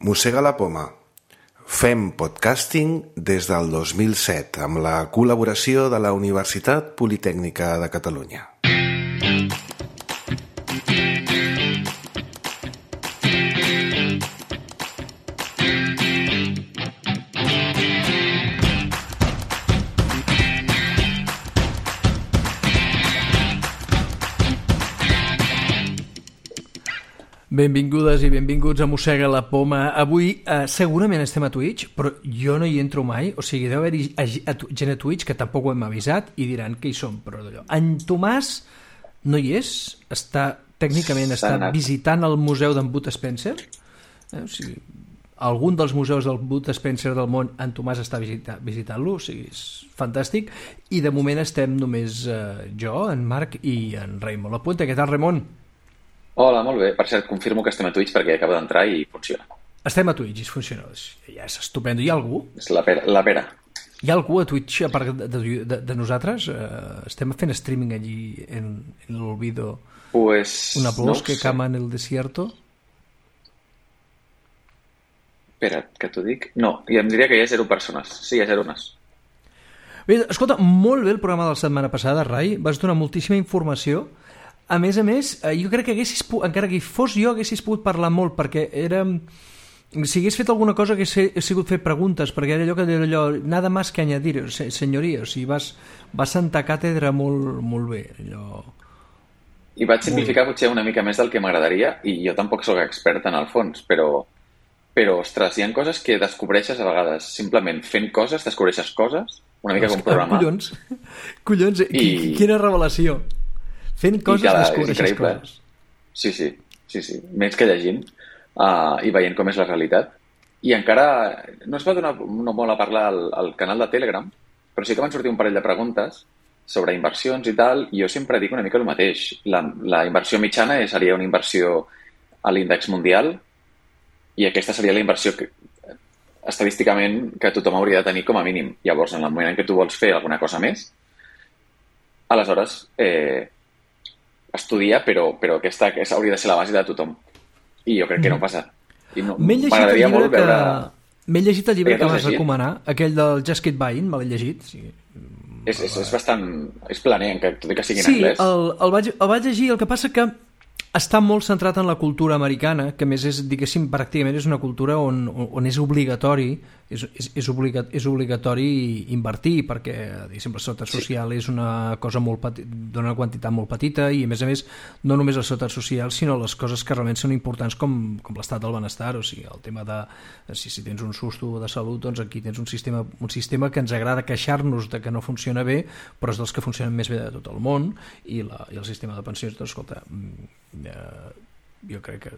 Mossega la poma. Fem podcasting des del 2007 amb la col·laboració de la Universitat Politècnica de Catalunya. Benvingudes i benvinguts a Mossega la poma. Avui segurament estem a Twitch, però jo no hi entro mai. O sigui, deu haver-hi gent a Twitch que tampoc ho hem avisat i diran que hi som, però d'allò. En Tomàs no hi és, tècnicament està visitant el museu d'en Bud Spencer. O sigui, algun dels museus del Bud Spencer del món, en Tomàs està visitant-lo, o sigui, és fantàstic. I de moment estem només jo, en Marc i en Raimon Lapuente. Què tal, Raimon? Hola, molt bé. Per cert, confirmo que estem a Twitch perquè acabo d'entrar i funciona. Estem a Twitch i funciona. Ja és estupendo. Hi ha algú? És la pera. Hi ha algú a Twitch, a part de nosaltres? Estem fent streaming allí en el olvido. Pues una bosque que cama en el desierto? Espera, que t'ho dic. No, i em diria que hi ha 0 persones. Sí, hi ha 0 persones. Bé, escolta, molt bé el programa de la setmana passada, Rai. Vas donar moltíssima informació. A més, jo crec que encara que hi fos jo, haguessis pogut parlar molt, perquè era... Si hagués fet alguna cosa hagués sigut fer preguntes, perquè era allò nada más que añadir, senyoria, o sigui, vas sentar càtedra molt bé. Allò... I vaig simplificar potser una mica més del que m'agradaria, i jo tampoc sóc expert en el fons, però ostres, hi ha coses que descobreixes a vegades. Simplement fent coses, descobreixes coses, una mica com programar. Collons, quina revelació! Fent coses descobreixes coses. Sí. Més que llegint i veient com és la realitat. I encara no es va donar molt a parlar al canal de Telegram, però sí que van sortir un parell de preguntes sobre inversions i tal, i jo sempre dic una mica el mateix. La inversió mitjana seria una inversió a l'índex mundial i aquesta seria la inversió estadísticament que tothom hauria de tenir com a mínim. Llavors, en el moment en què tu vols fer alguna cosa més, aleshores... estudia, però aquesta hauria de ser la base de tothom. I jo crec que no passa. M'agradaria molt veure... M'he llegit el llibre que vas recomanar, aquell del Just Keep Buying, me l'he llegit. Sí. És bastant... És planer, tot i que sigui en anglès. Sí, el vaig llegir, el que passa que està molt centrat en la cultura americana, que més és, diguéssim, pràcticament és una cultura on és obligatori invertir, perquè, diguéssim, la seguretat social és una cosa d'una quantitat molt petita i, a més, no només la seguretat social, sinó les coses que realment són importants com l'estat del benestar, o sigui, el tema de si tens un susto de salut, doncs aquí tens un sistema que ens agrada queixar-nos de que no funciona bé, però és dels que funcionen més bé de tot el món, i el sistema de pensions, doncs, escolta, jo crec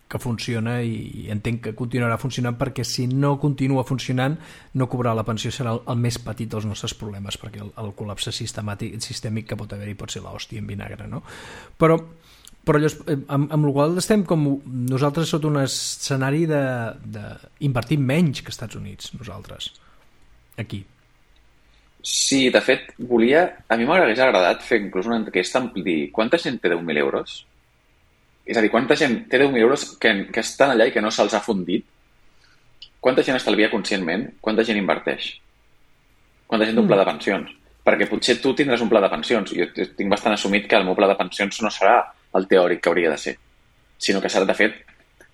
que funciona i entenc que continuarà funcionant, perquè si no continua funcionant no cobrar la pensió serà el més petit dels nostres problemes, perquè el col·lapse sistèmic que pot haver-hi pot ser l'hòstia en vinagre, no? Però llavors, amb la qual estem com nosaltres sota un escenari d'invertir menys que als Estats Units, nosaltres aquí. Sí, de fet, a mi m'hagués agradat fer inclús una enquesta amb dir quanta gent té 10.000 euros? És a dir, quanta gent té 10.000 euros que estan allà i que no se'ls ha fundit? Quanta gent estalvia conscientment? Quanta gent inverteix? Quanta gent té un pla de pensions? Perquè potser tu tindràs un pla de pensions. Jo tinc bastant assumit que el meu pla de pensions no serà el teòric que hauria de ser, sinó que serà, de fet,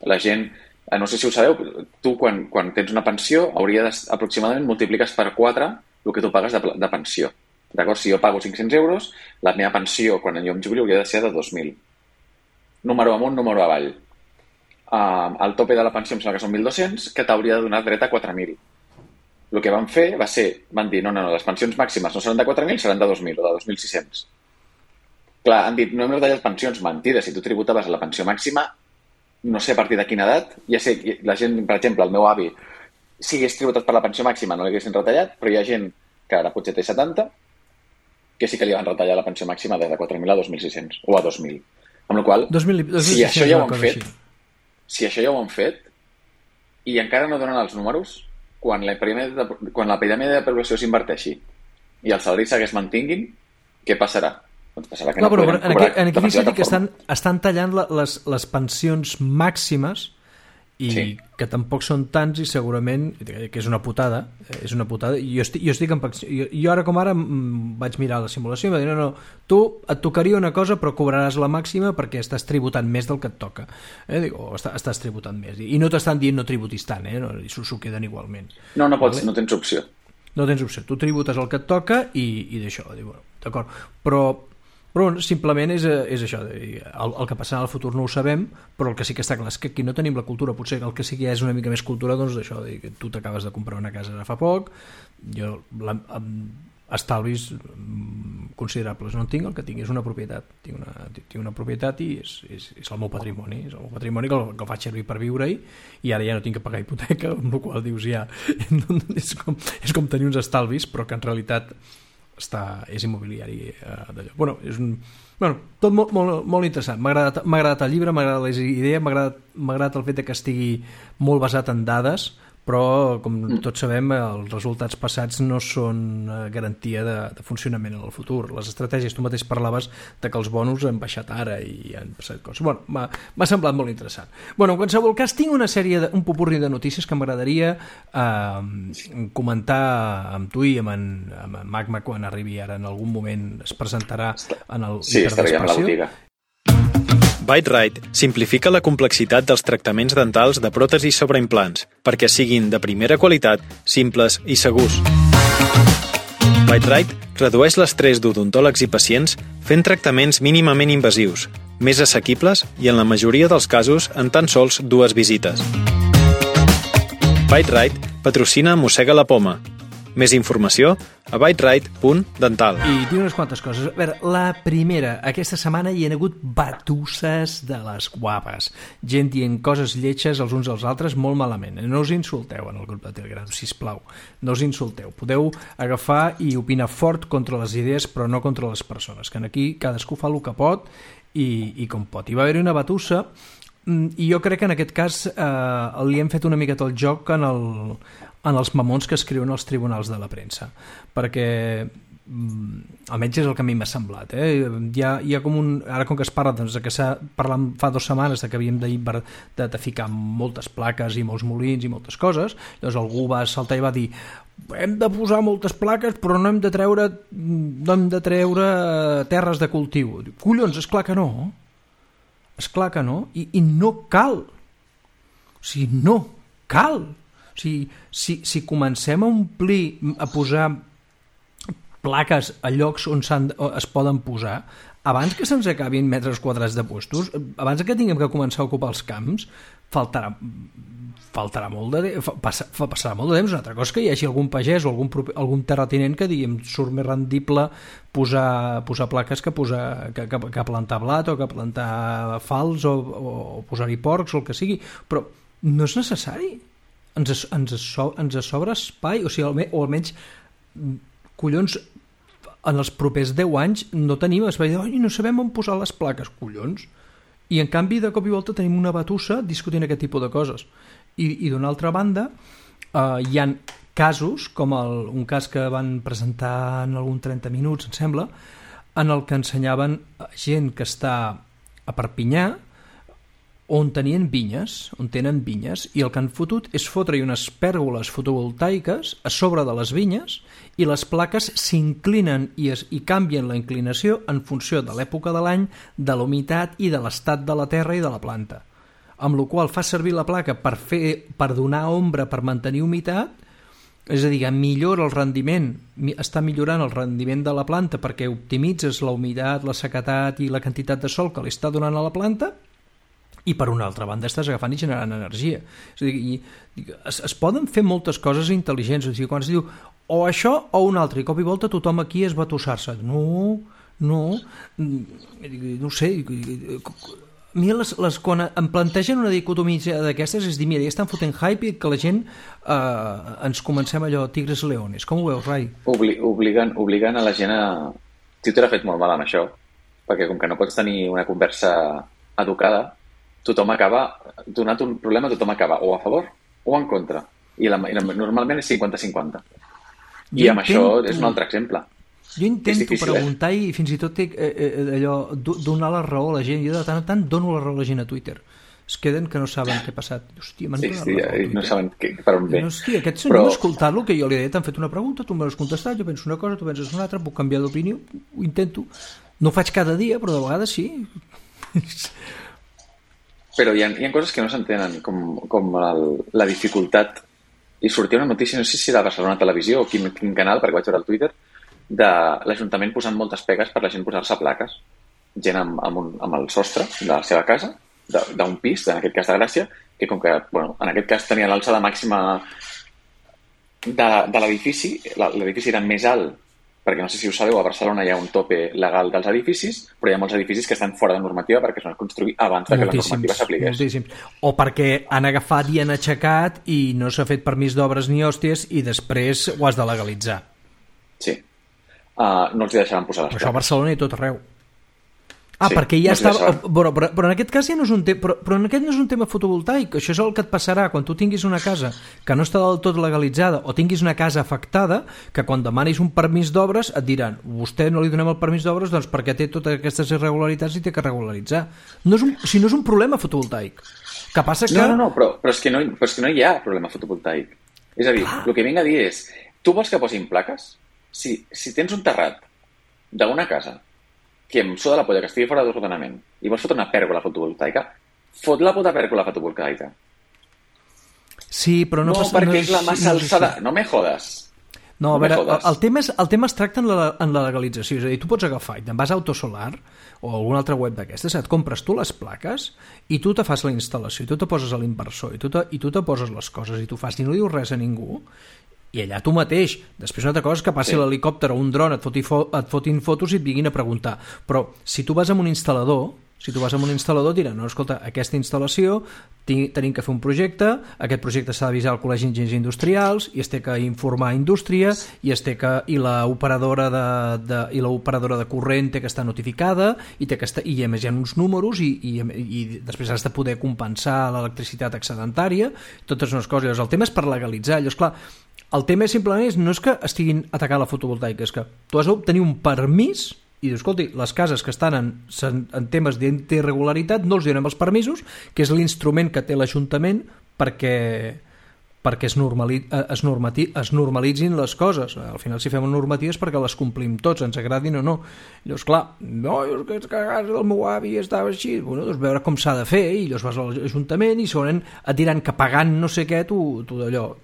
la gent... No sé si ho sabeu, tu quan tens una pensió aproximadament multipliques per 4 el que tu pagues de pensió. D'acord? Si jo pago 500 euros, la meva pensió quan jo em jubili hauria de ser de 2.000. Número amunt, número avall. El tope de la pensió em sembla que són 1.200, que t'hauria de donar dret a 4.000. El que van fer van dir, no, les pensions màximes no seran de 4.000, seran de 2.000 o de 2.600. Clar, han dit, no hem retallat pensions, mentida, si tu tributaves a la pensió màxima, no sé a partir de quina edat, ja sé, la gent, per exemple, el meu avi, si hagués tributat per la pensió màxima no l'haguessin retallat, però hi ha gent que ara potser té 70, que sí que li van retallar la pensió màxima de 4.000 a 2.600 o a 2.000. Amb la qual cosa, si això ja ho han fet i encara no donen els números, quan l'epidèmia de població s'inverteixi i els salaris segueix mantinguin, què passarà? Doncs passarà que no podrem cobrar. En aquí que estan tallant les pensions màximes i que tampoc són tants i segurament que és una putada, jo ara com ara vaig mirar la simulació i va dir no, tu et tocaria una cosa però cobraràs la màxima perquè estàs tributant més del que et toca, o estàs tributant més i no t'estan dient no tributis tant, s'ho queden igualment. No pots, no tens opció. No tens opció, tu tributes el que et toca i d'això, d'acord, però simplement és això, el que passarà al futur no ho sabem, però el que sí que està clar és que aquí no tenim la cultura, potser el que sí que és una mica més cultura, doncs d'això, que tu t'acabes de comprar una casa ara fa poc, jo estalvis considerables no en tinc, el que tinc és una propietat, tinc una propietat i és el meu patrimoni, que el faig servir per viure-hi i ara ja no tinc que pagar hipoteca, amb la qual dius ja és com tenir uns estalvis, però que en realitat és immobiliari d'allò. Tot molt interessant. M'ha agradat el llibre, m'ha agradat les idees, m'ha agradat el fet que estigui molt basat en dades, però com tots sabem els resultats passats no són garantia de funcionament en el futur. Les estratègies, tu mateix parlaves de que els bonus han baixat ara i han passat coses. M'ha semblat molt interessant. En qualsevol cas tinc un popurri de notícies que m'agradaria comentar amb tu i amb en Magma quan arribi ara, en algun moment es presentarà en el hiperdespacio. Bite-Rite simplifica la complexitat dels tractaments dentals de pròtesis sobre implants perquè siguin de primera qualitat, simples i segurs. Bite-Rite redueix l'estrès d'odontòlegs i pacients fent tractaments mínimament invasius, més assequibles i en la majoria dels casos en tan sols 2 visites. Bite-Rite patrocina Mossega la Poma. Més informació a biterite.dental. I tinc unes quantes coses. A veure, la primera, aquesta setmana hi ha hagut batusses de les guapes. Gent dient coses lletges els uns als altres molt malament. No us insulteu en el grup de Telegram, sisplau. No us insulteu. Podeu agafar i opinar fort contra les idees, però no contra les persones, que aquí cadascú fa el que pot i com pot. Hi va haver una batussa i jo crec que en aquest cas li hem fet una miqueta el joc en els mamons que escriuen als tribunals de la premsa, perquè almenys és el que a mi m'ha semblat. Hi ha com ara com que es parla de que s'ha parlat fa 2 setmanes que havíem de ficar moltes plaques i molts molins i moltes coses, llavors algú va saltar i va dir hem de posar moltes plaques però no hem de treure terres de cultiu. Collons, esclar que no, i no cal, o sigui, no cal. O sigui, si comencem a omplir, a posar plaques a llocs on es poden posar, abans que se'ns acabin metres quadrats de puestos, abans que tinguem que començar a ocupar els camps, passarà molt de temps. Una altra cosa que hi hagi algun pagès o algun terratinent que digui surt més rendible posar plaques que plantar blat o que plantar falç o posar-hi porcs o el que sigui, però no és necessari. Ens sobra espai, o almenys collons, en els propers 10 anys no tenim espai, no sabem on posar les plaques, collons, i en canvi de cop i volta tenim una batussa discutint aquest tipus de coses. I d'una altra banda hi ha casos com un cas que van presentar en algun 30 minuts, em sembla, en el que ensenyaven gent que està a Perpinyà on tenen vinyes, i el que han fotut és fotre-hi unes pèrgoles fotovoltaiques a sobre de les vinyes i les plaques s'inclinen i canvien la inclinació en funció de l'època de l'any, de la humitat i de l'estat de la terra i de la planta. Amb la qual fa servir la placa per donar ombra, per mantenir humitat, és a dir, millora el rendiment, està millorant el rendiment de la planta perquè optimitzes la humitat, la sequedat i la quantitat de sol que li està donant a la planta, i per una altra banda estàs agafant i generant energia. És a dir, es poden fer moltes coses intel·ligents, o sigui, quan es diu o això o un altre, i cop i volta tothom aquí es va tossar-se. No sé, a mi quan em plantegen una dicotomia d'aquestes és dir, mira, ja estan fotent hype i que la gent ens comencem allò tigres leones. Com ho veus, Rai? Obligant a la gent a... Twitter ha fet molt mal amb això, perquè com que no pots tenir una conversa educada, tothom acaba, donat un problema, tothom acaba o a favor o en contra. I normalment és 50-50. I amb això és un altre exemple. Jo intento preguntar i fins i tot allò, donar la raó a la gent. Jo de tant en tant dono la raó a la gent a Twitter. es queden que no saben què ha passat. Hòstia, m'han donat Sí, la foto, no saben per on ve. Hòstia, aquest senyor m'ha escoltat el que jo li he dit, t'han fet una pregunta, tu m'has contestat, jo penso una cosa, tu penses una altra, puc canviar d'opinió, ho intento. No ho faig cada dia, però de vegades sí. Però hi ha coses que no s'entenen, com la dificultat. I sortia una notícia, no sé si de Barcelona Televisió o quin canal, perquè vaig veure al Twitter, de l'Ajuntament posant moltes pegues per la gent posar-se plaques. Gent amb el sostre de la seva casa, d'un pis, en aquest cas de Gràcia, que com que, en aquest cas tenia l'alçada màxima de l'edifici, l'edifici era més alt, perquè no sé si ho sabeu, a Barcelona hi ha un tope legal dels edificis, però hi ha molts edificis que estan fora de normativa perquè es van construir abans que la normativa s'apliqués. O perquè han agafat i han aixecat i no s'ha fet permís d'obres ni hòsties i després ho has de legalitzar. Sí. No els hi deixaran posar les plaques. Això a Barcelona i tot arreu. Sí, perquè ja estava... Però en aquest cas ja no és un tema... Però en aquest no és un tema fotovoltaic. Això és el que et passarà quan tu tinguis una casa que no està del tot legalitzada o tinguis una casa afectada, que quan demanis un permís d'obres et diran vostè no li donem el permís d'obres doncs perquè té totes aquestes irregularitats i té que regularitzar. No és un problema fotovoltaic. Que passa que... No, però és que no hi ha problema fotovoltaic. És a dir, el que vinc a dir és tu vols que posin plaques? Si tens un terrat d'una casa que em suda la polla que estigui fora d'ordenament i vols fotre una pèrgola fotovoltaica, fot la puta pèrgola fotovoltaica. Sí, però no passa... perquè és la massa alçada. No me jodes. No, a veure, el tema es tracta en la legalització. És a dir, tu pots agafar i te'n vas a Autosolar o alguna altra web d'aquestes, et compres tu les plaques i tu te fas la instal·lació, i tu te poses a l'inversor, i tu te poses les coses, i tu fas i no dius res a ningú, i allà tu mateix. Després una altra cosa és que passi l'helicòpter o un dron, et fotin fotos i et vinguin a preguntar. Però si tu vas amb un instal·lador, diran, no, escolta, aquesta instal·lació tenim que fer un projecte, aquest projecte s'ha d'avisar al Col·legi d'Enginyers Industrials i es té que informar a indústria i l'operadora de corrent té que estar notificada i a més hi ha uns números i després has de poder compensar l'electricitat excedentària, totes unes coses. El tema és per legalitzar. Llavors, clar, el tema simplement no és que estiguin atacant la fotovoltaica, és que tu has d'obtenir un permís i dius, escolti, les cases que estan en temes d'irregularitat no els donem els permisos, que és l'instrument que té l'Ajuntament perquè es normalitzin les coses. Al final, si fem normatives perquè les complim tots, ens agradin o no. Llavors, clar, és que a casa del meu avi estava així. Doncs veure com s'ha de fer, i llavors vas a l'Ajuntament i segurament et diran que pagant no sé què, tu d'allò.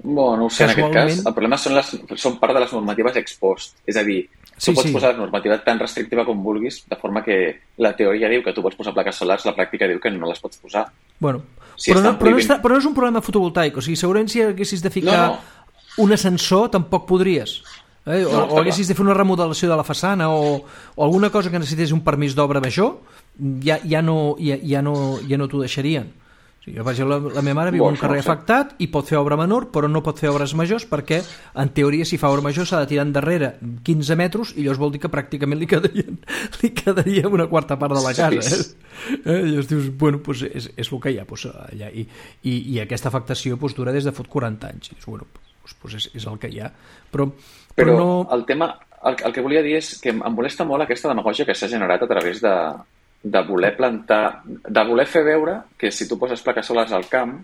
No ho sé, en aquest cas, el problema són part de les normatives ex post. És a dir, tu pots posar la normativa tan restrictiva com vulguis, de forma que la teoria diu que tu pots posar plaques solars, la pràctica diu que no les pots posar. Però no és un problema fotovoltaic. O sigui, segurament si haguessis de ficar un ascensor tampoc podries. O haguessis de fer una remodelació de la façana o alguna cosa que necessités un permís d'obra major, ja no t'ho deixarien. O sigui, la meva mare viu en un carrer afectat i pot fer obra menor, però no pot fer obres majors perquè, en teoria, si fa obra major s'ha de tirar endarrere 15 metres i llavors vol dir que pràcticament li quedaria una quarta part de la casa. I llavors dius, doncs és el que hi ha allà. I aquesta afectació dura des de fot 40 anys. I dius, és el que hi ha. Però no... el tema, el que volia dir és que em molesta molt aquesta demagògia que s'ha generat a través de voler plantar, de voler fer veure que si tu poses plaques solars al camp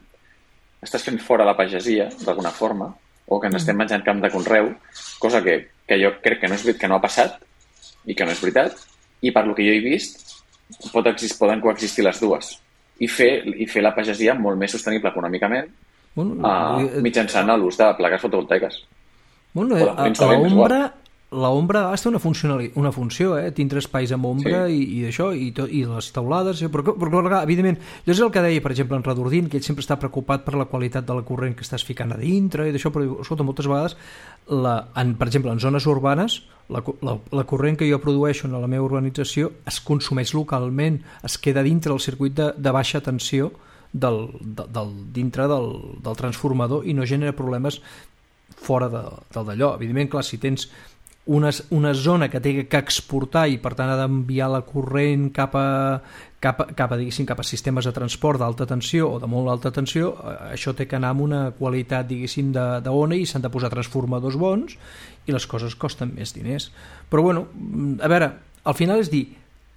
estàs fent fora la pagesia d'alguna forma, o que ens estem menjant camp de conreu, cosa que jo crec que no ha passat i que no és veritat, i per lo que jo he vist poden coexistir les dues i fer la pagesia molt més sostenible econòmicament mitjançant l'ús de plaques fotovoltaiques. L'ombra té una funció, tindre espais amb ombra i això, i les teulades, però evidentment, jo és el que deia, per exemple, en Redordín, que ell sempre està preocupat per la qualitat de la corrent que estàs ficant a dintre i d'això, però escolta, moltes vegades per exemple, en zones urbanes la corrent que jo produeixo en la meva urbanització es consumeix localment, es queda dintre del circuit de baixa tensió dintre del transformador i no genera problemes fora d'allò. Evidentment, clar, si tens una zona que té que exportar i per tant ha d'enviar la corrent cap a sistemes de transport d'alta tensió o de molt alta tensió, això té que anar amb una qualitat d'ona i s'han de posar transformadors bons i les coses costen més diners. Però bueno, a veure, al final és dir,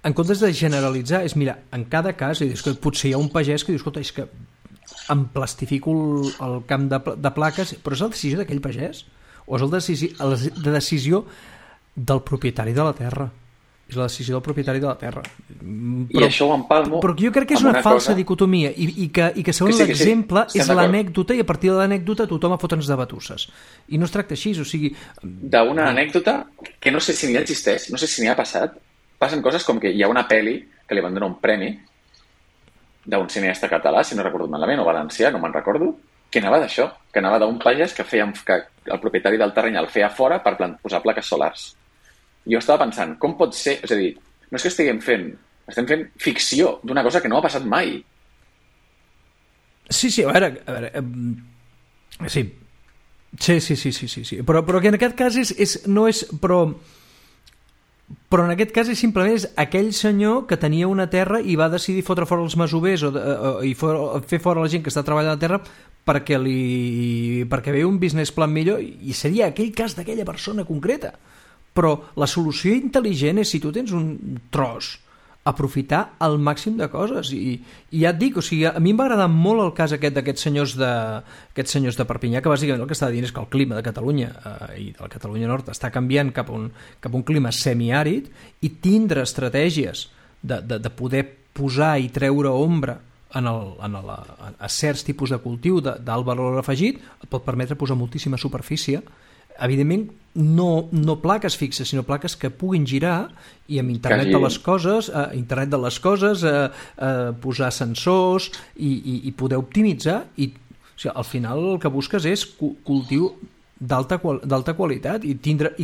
en comptes de generalitzar, és mirar, en cada cas, és que potser hi ha un pagès que diu, escolta, és que em plastifico el camp de plaques, però és la decisió d'aquell pagès? O és la decisió del propietari de la terra? És la decisió del propietari de la terra. I això ho empalmo... Però jo crec que és una falsa dicotomia i que segons l'exemple és l'anècdota i a partir de l'anècdota tothom a fotre'ns de batusses. I no es tracta així, o sigui... D'una anècdota que no sé si ni existeix, no sé si n'hi ha passat, passen coses com que hi ha una pel·li que li van donar un premi d'un cineasta català, si no recordo malament, o valencià, no me'n recordo, que anava d'això, que anava d'un pagès que el propietari del terreny el feia fora per posar plaques solars. Jo estava pensant, com pot ser... És a dir, no és que estem fent ficció d'una cosa que no ha passat mai. Sí, a veure sí. Sí. Però que en aquest cas però en aquest cas és simplement aquell senyor que tenia una terra i va decidir fotre fora els masovers i fer fora la gent que està treballant a la terra perquè ve un business plan millor i seria aquell cas d'aquella persona concreta. Però la solució intel·ligent és, si tu tens un tros, aprofitar el màxim de coses i ja et dic, o sigui, a mi em va agradar molt el cas d'aquests senyors de Perpinyà, que bàsicament el que estava dient és que el clima de Catalunya i de la Catalunya Nord està canviant cap a un clima semiàrid i tindre estratègies de poder posar i treure ombra a certs tipus de cultiu d'alt valor afegit et pot permetre posar moltíssima superfície, evidentment no plaques fixes, sinó plaques que puguin girar i amb internet de les coses posar sensors i poder optimitzar i o sigui, al final el que busques és cultiu d'alta qualitat i tindre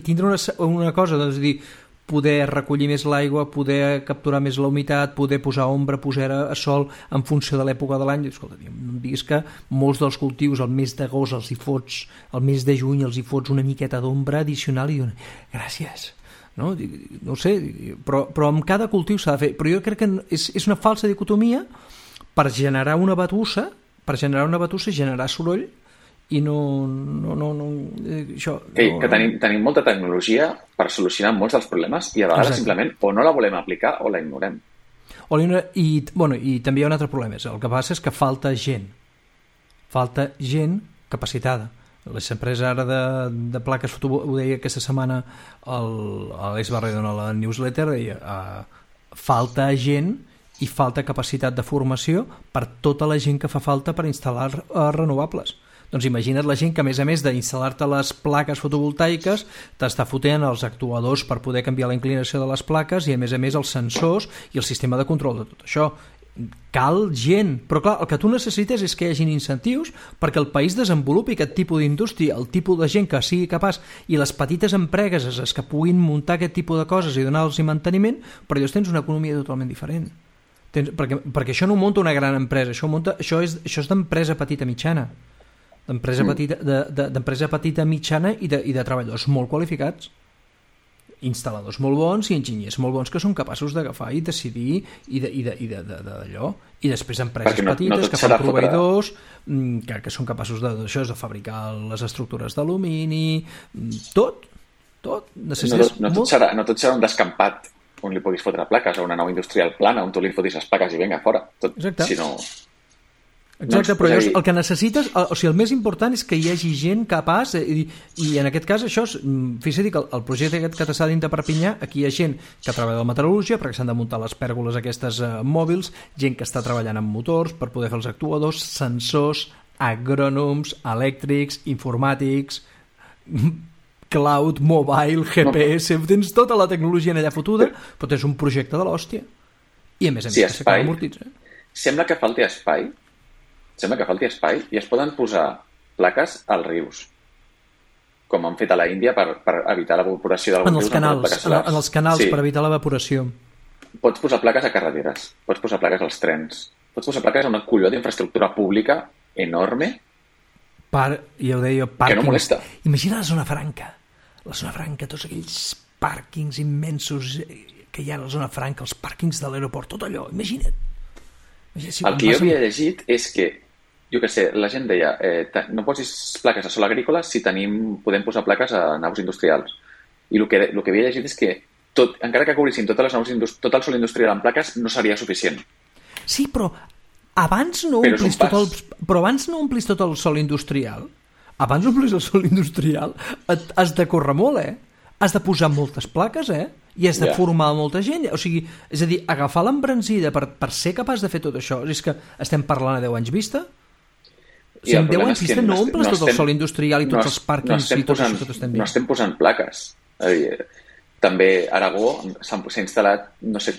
una cosa, doncs dir, poder recollir més l'aigua, poder capturar més la humitat, poder posar ombra, posar a sol en funció de l'època de l'any. Escolta, no em diguis que molts dels cultius al mes d'agost els hi fots, al mes de juny els hi fots una miqueta d'ombra addicional i diuen, gràcies. No ho sé, però amb cada cultiu s'ha de fer. Però jo crec que és una falsa dicotomia per generar una batussa, generar soroll i això... Que tenim molta tecnologia per solucionar molts dels problemes i a vegades simplement o no la volem aplicar o la ignorem. I també hi ha un altre problema. El que passa és que falta gent capacitada. L'empresa ara de plaques fotovoltaiques, ho deia aquesta setmana l'Àlex Barredon a la newsletter, deia falta gent i falta capacitat de formació per tota la gent que fa falta per instal·lar renovables. Doncs imagina't la gent que, a més d'instal·lar-te les plaques fotovoltaiques, t'està fotent els actuadors per poder canviar la inclinació de les plaques i, a més els sensors i el sistema de control de tot això. Cal gent. Però, clar, el que tu necessites és que hi hagin incentius perquè el país desenvolupi aquest tipus d'indústria, el tipus de gent que sigui capaç i les petites empreses que puguin muntar aquest tipus de coses i donar-los manteniment, però llavors tens una economia totalment diferent. Perquè això no ho munta una gran empresa, això és d'empresa petita mitjana. D'empresa petita mitjana i de treballadors molt qualificats, instal·ladors molt bons i enginyers molt bons que són capaços d'agafar i decidir i d'allò, i després empreses petites que fan proveïdors que són capaços de fabricar les estructures d'alumini, tot no tot serà un descampat on li puguis fotre plaques o una nau industrial plana on tu li fotis les plaques i vinga fora tot, sinó... Exacte, però llavors el que necessites, o sigui, el més important és que hi hagi gent capaç i en aquest cas això, fixa't que el projecte aquest que t'està dins de Perpinyà, aquí hi ha gent que treballa en metal·lúrgia perquè s'han de muntar les pèrgoles aquestes mòbils, gent que està treballant amb motors per poder fer els actuadors, sensors, agrònoms, elèctrics, informàtics, cloud, mobile, GPS, tens tota la tecnologia allà fotuda, però tens un projecte de l'hòstia i a més que s'acaba amortitzant. Sembla que falti espai i es poden posar plaques als rius, com han fet a la Índia per evitar l'evaporació d'alguns rius. En els canals, sí. Per evitar l'evaporació. Pots posar plaques a carreteres, pots posar plaques als trens, pots posar plaques a una colló d'infraestructura pública enorme ja ho deia, pàrquings. Que no molesta. Imagina la zona franca, tots aquells pàrquings immensos que hi ha a la zona franca, els pàrquings de l'aeroport, tot allò, imagina't. El que jo havia llegit és que, jo què sé, la gent deia no posis plaques a sol agrícola si podem posar plaques a naus industrials. I el que havia llegit és que encara que cobrissin tot el sòl industrial en plaques, no seria suficient. Sí, però abans no omplis tot el sòl industrial. Abans d'omplir el sòl industrial has de córrer molt, Has de posar moltes plaques, I has de formar molta gent. O sigui, és a dir, agafar l'embranzida per ser capaç de fer tot això, és que estem parlant a 10 anys vista? Si en 10 anys vista no omples tot el sòl industrial i tots els pàrquings i tot això que t'estem dient. No estem posant plaques. És a dir, també a Aragó s'ha instal·lat, no sé,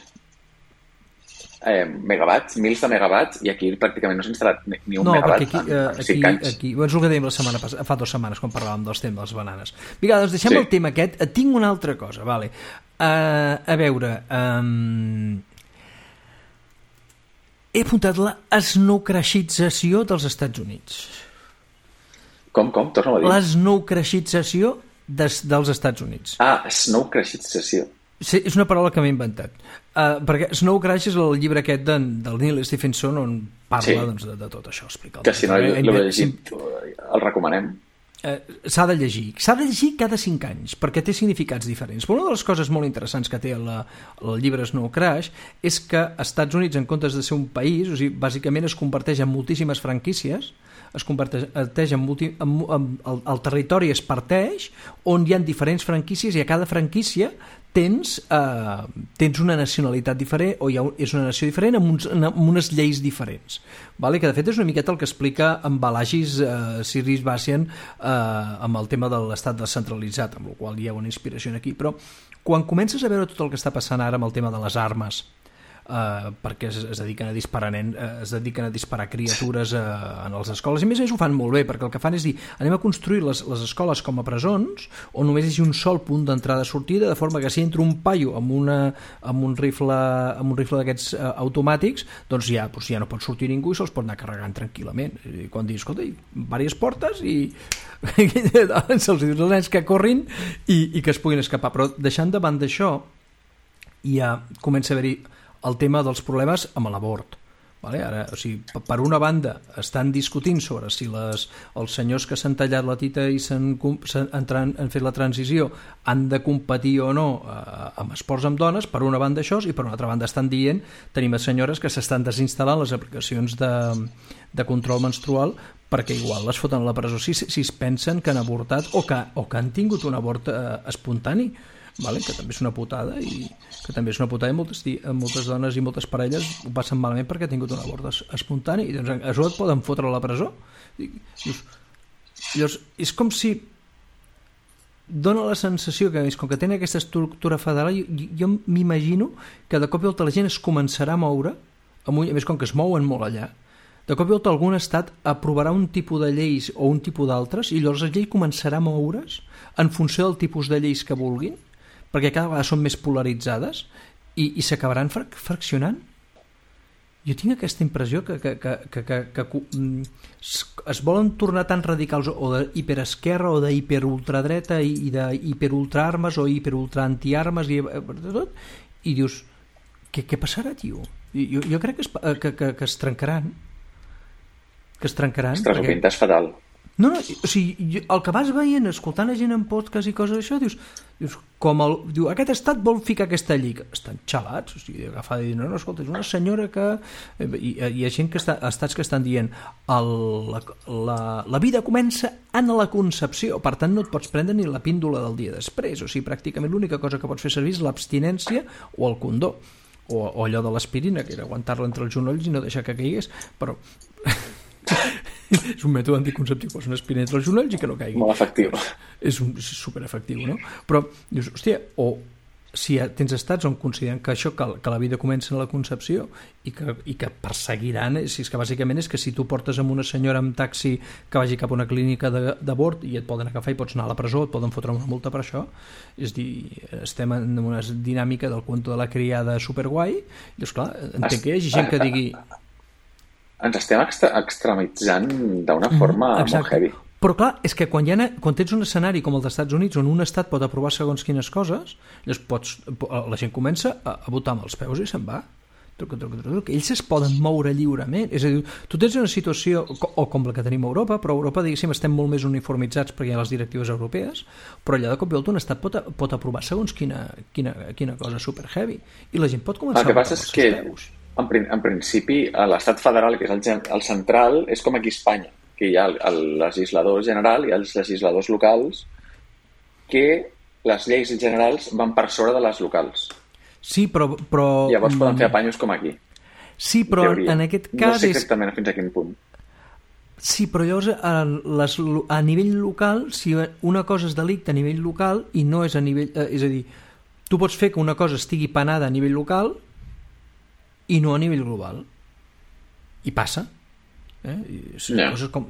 megawatts, mils de megawatts, i aquí pràcticament no s'ha instal·lat ni un megawatt en 5 anys. Aquí, és el que dèiem fa 2 setmanes quan parlàvem dels temes de les bananes. Vinga, doncs deixem el tema aquest. Tinc una altra cosa, vale. A veure, he apuntat la snowcrashització dels Estats Units. Com? Torna-ho a dir. La snowcrashització dels Estats Units. Snowcrashització. Sí, és una paraula que m'he inventat. Perquè Snow Crash és el llibre aquest del Neil Stephenson on parla de tot això. Que si no l'he llegit, el recomanem. S'ha de llegir cada 5 anys perquè té significats diferents. Però una de les coses molt interessants que té el llibre Snow Crash és que als Estats Units, en comptes de ser un país, o sigui, bàsicament es converteix en moltíssimes franquícies, el territori es parteix on hi ha diferents franquícies i a cada franquícia tens una nacionalitat diferent o és una nació diferent amb unes lleis diferents, vale? Que de fet és una miqueta el que explica en Balagis Sirris Basian amb el tema de l'estat descentralitzat, amb el qual hi ha una inspiració aquí. Però quan comences a veure tot el que està passant ara amb el tema de les armes, perquè es dediquen a disparar criatures en les escoles, i a més ho fan molt bé, perquè el que fan és dir, anem a construir les escoles com a presons on només hi hagi un sol punt d'entrada-sortida, de forma que si entra un paio amb un rifle d'aquests automàtics, doncs ja no pot sortir ningú i se'ls pot anar carregant tranquil·lament. I quan dius, escolta, diverses portes i se'ls dius als nens que corrin i que es puguin escapar. Però deixant de banda això, ja comença a haver-hi el tema dels problemes amb l'abort. Vale? Ara, o sigui, per una banda estan discutint sobre si els senyors que s'han tallat la tita i han fet la transició han de competir o no amb esports amb dones, per una banda això, i per una altra banda estan dient, tenim senyores que s'estan desinstal·lant les aplicacions de control menstrual perquè igual les foten a la presó si es pensen que han avortat o que han tingut un abort espontani. Vale? Que també és una putada i moltes dones i moltes parelles ho passen malament perquè ha tingut un abort espontani i doncs això et poden fotre a la presó. Llavors, és com si dona la sensació que com que tenen aquesta estructura federal, jo m'imagino que de cop i volta la gent es començarà a moure, a més com que es mouen molt allà, de cop i volta algun estat aprovarà un tipus de lleis o un tipus d'altres i llavors la llei començarà a moure's en funció del tipus de lleis que vulguin, perquè cada vegada són més polaritzades i s'acabaran fraccionant. Jo tinc aquesta impressió que es volen tornar tan radicals o d'hiperesquerra o d'hiperultradreta i d'hiperultraarmes o hiperultraantiarmes i tot, i dius, què passarà, tio? Jo crec que es trencaran. Ostres, ho pintes fatal. No, o sigui, el que vas veient, escoltant a gent en podcast i coses d'això, dius aquest estat vol ficar aquesta llei. Estan xalats, o sigui, agafar i dir, no, escolta, és una senyora que... Hi ha gent estats que estan dient la vida comença en la concepció, per tant no et pots prendre ni la píndola del dia després, o sigui, pràcticament l'única cosa que pots fer servir és l'abstinència o el condó, o allò de l'aspirina, que era aguantar-la entre els genolls i no deixar que caigués, però... és un mètode anticonceptiu, posa una espina entre els genolls i que no caigui. Molt efectiu. És superefectiu, no? Però dius, hòstia, o si tens estats on consideren que això, que la vida comença en la concepció i que perseguiran, si és que bàsicament és que si tu portes amb una senyora amb taxi que vagi cap a una clínica d'abort i et poden agafar i pots anar a la presó, et poden fotre una multa per això, és dir, estem en una dinàmica del cuento de la criada superguai, i esclar, entenc que hi hagi gent que digui... Ens estem extremitzant d'una forma molt heavy. Però clar, és que quan tens un escenari com el dels Estats Units on un estat pot aprovar segons quines coses, la gent comença a votar amb els peus i se'n va. ells es poden moure lliurement. És a dir, tu tens una situació o com la que tenim a Europa, però a Europa, diguéssim, estem molt més uniformitzats perquè hi ha les directives europees, però allà de cop i volta un estat pot aprovar segons quina cosa super heavy, i la gent pot començar el que passa és que en principi l'estat federal, que és el central, és com aquí a Espanya, que hi ha el legislador general i els legisladors locals, que les lleis generals van per sobre de les locals. Sí, però... Llavors poden fer apanyos com aquí. Sí, però en aquest cas... No sé exactament fins a quin punt. Sí, però llavors a nivell local, si una cosa és delicte a nivell local i no és a nivell... és a dir, tu pots fer que una cosa estigui penada a nivell local i no a nivell global. I passa. Coses com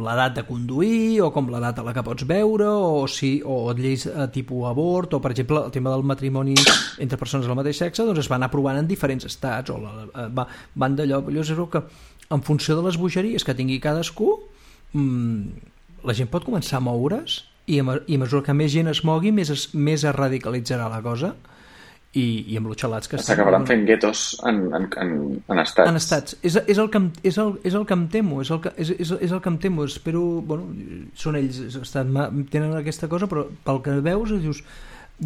l'edat de conduir o com l'edat a la que pots veure o lleis tipus abort o per exemple el tema del matrimoni entre persones del mateix sexe, doncs es van aprovant en diferents estats o van d'allò. Llavors és que en funció de les bogeries que tingui cadascú la gent pot començar a moure's i a mesura que més gent es mogui més es radicalitzarà la cosa i amb l'utxalats que s'acabaran fent guetos en estats. En estats. És el que em temo, és el que em temo. Espero, bueno, són ells, tenen aquesta cosa, però pel que veus, dius,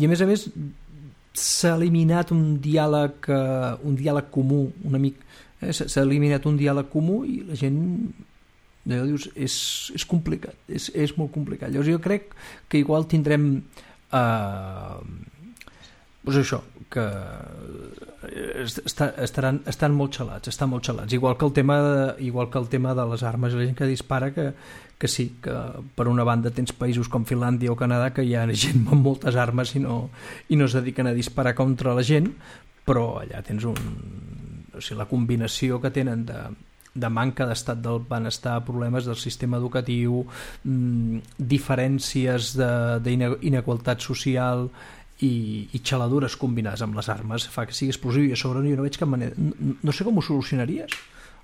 i a més s'ha eliminat un diàleg comú, una mica, s'ha eliminat un diàleg comú i la gent dius, és complicat, és molt complicat. Llavors jo crec que igual tindrem doncs això, que estan molt xalats, igual que el tema de les armes, la gent que dispara, que sí, que per una banda tens països com Finlàndia o Canadà que hi ha gent amb moltes armes i no es dediquen a disparar contra la gent, però allà tens la combinació que tenen de manca d'estat del benestar, problemes del sistema educatiu, diferències d'inequalitat social i xaladures combinades amb les armes fa que sigui explosiu i a sobre jo no veig cap manera, no sé com ho solucionaries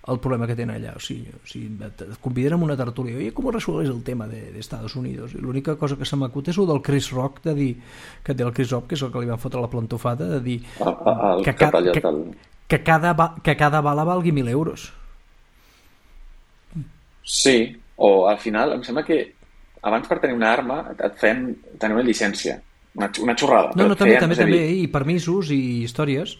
el problema que tenen allà, o sigui et conviden a una tertúlia, oye, com resolves el tema de Estados Unidos, i l'única cosa que se m'acut és el del Chris Rock, de dir que té el Chris Rock, que és el que li van fotre la plantofada, de dir que cada bala valgui 1.000 euros. Sí, o al final em sembla que abans per tenir una arma et feien tenir una llicència, una xorrada. No, també, i permisos i històries.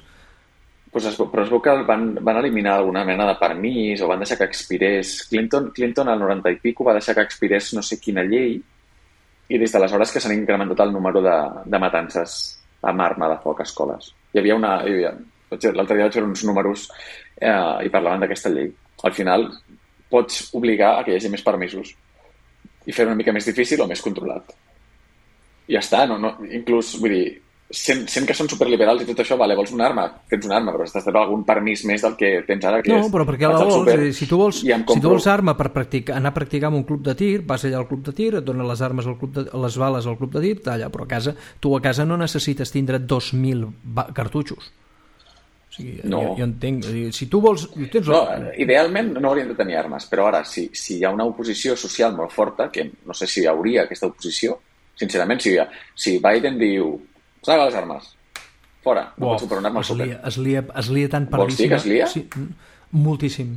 Però es veu que van eliminar alguna mena de permís o van deixar que expirés. Clinton al 90 i pico va deixar que expirés no sé quina llei i des d'aleshores que s'han incrementat el número de matances amb arma de foc a escoles. L'altre dia vaig veure uns números i parlaven d'aquesta llei. Al final pots obligar a que hi hagi més permisos i fer una mica més difícil o més controlat. I ja està, inclús, vull dir, sent que són superliberals i tot això, vale, vols una arma? Tens una arma, però has de tenir algun permís més del que tens ara. No, però perquè la vols, si tu vols arma per anar a practicar en un club de tir, vas allà al club de tir, et donen les armes les bales al club de tir, talla, però tu a casa no necessites tindre 2.000 cartutxos. O sigui, jo entenc, si tu vols... Idealment no haurien de tenir armes, però ara, si hi ha una oposició social molt forta, que no sé si hi hauria aquesta oposició, sincerament, si Biden diu traga les armes, fora, no pots comprar una arma al súper. Es lia tan per vols dir que es lia? Sí, moltíssim.